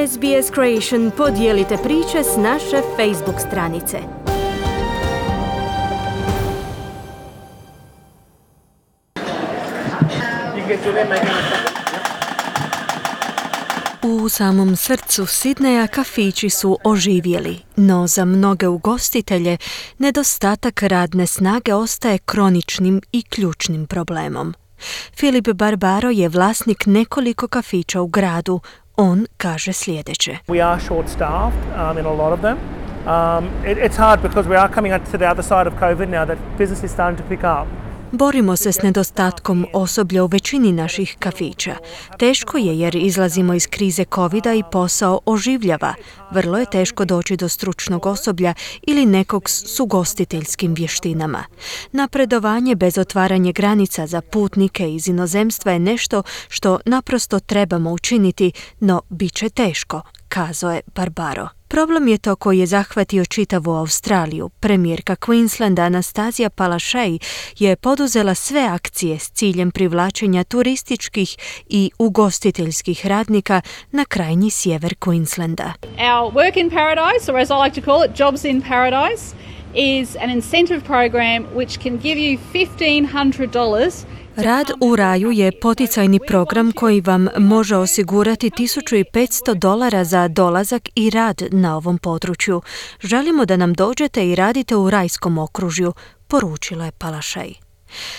SBS Creation, podijelite priče s naše Facebook stranice. U samom srcu Sidneja kafići su oživjeli, no za mnoge ugostitelje nedostatak radne snage ostaje kroničnim i ključnim problemom. Filip Barbaro je vlasnik nekoliko kafića u gradu. On kaže sljedeće. We are short-staffed in a lot of them. It's hard because we are coming to the other side of COVID now that business is starting to pick up. Borimo se s nedostatkom osoblja u većini naših kafića. Teško je jer izlazimo iz krize covida i posao oživljava. Vrlo je teško doći do stručnog osoblja ili nekog s ugostiteljskim vještinama. Napredovanje bez otvaranja granica za putnike iz inozemstva je nešto što naprosto trebamo učiniti, no bit će teško, kazao je Barbaro. Problem je to koji je zahvatio čitavu Australiju. Premijerka Queenslanda Anastasia Palaszczuk je poduzela sve akcije s ciljem privlačenja turističkih i ugostiteljskih radnika na krajnji sjever Queenslanda. Our Work in Paradise, or as I like to call it, Jobs in Paradise, is an incentive program which can give you $1,500. Rad u raju je poticajni program koji vam može osigurati $1,500 za dolazak i rad na ovom području. Želimo da nam dođete i radite u rajskom okružju, poručila je Palaszczuk.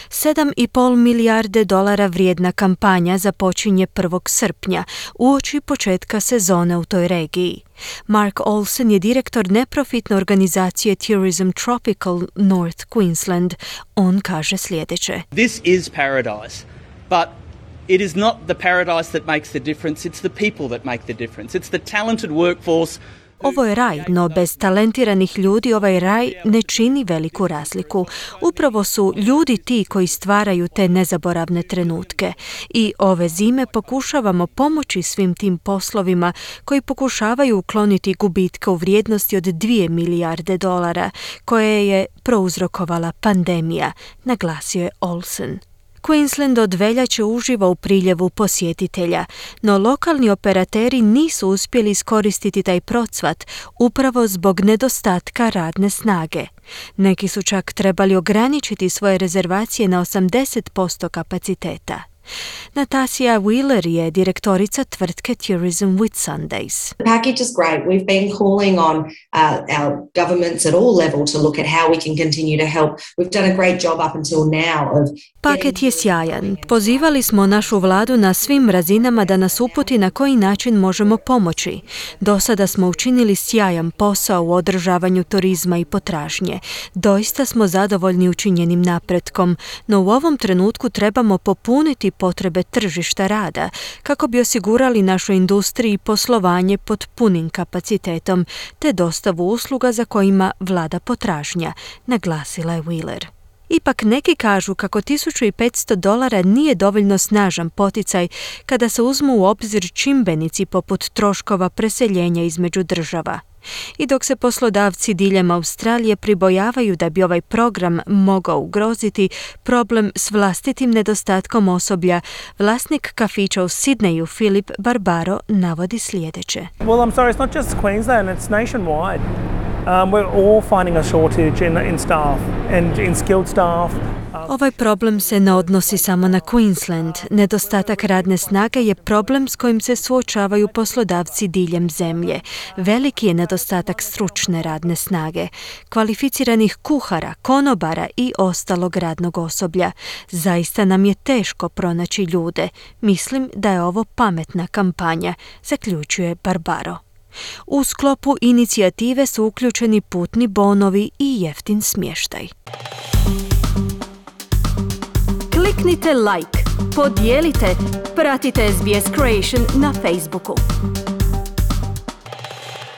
$7,5 milijarde vrijedna kampanja započinje 1. srpnja, uoči početka sezone u toj regiji. Mark Olsen je direktor neprofitne organizacije Tourism Tropical North Queensland. On kaže sljedeće. This is paradise, but it is not the paradise that makes the difference, it's the people that make the difference. It's the talented workforce. Ovo je raj, no bez talentiranih ljudi ovaj raj ne čini veliku razliku. Upravo su ljudi ti koji stvaraju te nezaboravne trenutke. I ove zime pokušavamo pomoći svim tim poslovima koji pokušavaju ukloniti gubitke u vrijednosti od $2 milijarde koje je prouzrokovala pandemija, naglasio je Olsen. Queensland od veljače uživa u priljevu posjetitelja, no lokalni operateri nisu uspjeli iskoristiti taj procvat upravo zbog nedostatka radne snage. Neki su čak trebali ograničiti svoje rezervacije na 80% kapaciteta. Natasha Wheeler je direktorica tvrtke Tourism Whitsundays. The package is great. We've been calling on our governments at all level to look at how we can continue to help. We've done a great job up until now of Paket je sjajan. Pozivali smo našu vladu na svim razinama da nas uputi na koji način možemo pomoći. Do sada smo učinili sjajan posao u održavanju turizma i potražnje. Doista smo zadovoljni učinjenim napretkom, no u ovom trenutku trebamo popuniti potrebe tržišta rada kako bi osigurali našoj industriji poslovanje pod punim kapacitetom te dostavu usluga za kojima vlada potražnja, naglasila je Wheeler. Ipak neki kažu kako $1,500 nije dovoljno snažan poticaj kada se uzmu u obzir čimbenici poput troškova preseljenja između država. I dok se poslodavci diljem Australije pribojavaju da bi ovaj program mogao ugroziti problem s vlastitim nedostatkom osoblja, vlasnik kafića u Sidneju Filip Barbaro navodi sljedeće. Well, I'm sorry, it's not just Queensland, it's nationwide. We're all finding a shortage in staff and in skilled staff. Ovaj problem se ne odnosi samo na Queensland. Nedostatak radne snage je problem s kojim se suočavaju poslodavci diljem zemlje. Veliki je nedostatak stručne radne snage, kvalificiranih kuhara, konobara i ostalog radnog osoblja. Zaista nam je teško pronaći ljude. Mislim da je ovo pametna kampanja, zaključuje Barbaro. U sklopu inicijative su uključeni putni bonovi i jeftin smještaj. Kliknite like, podijelite, pratite SBS Creation na Facebooku.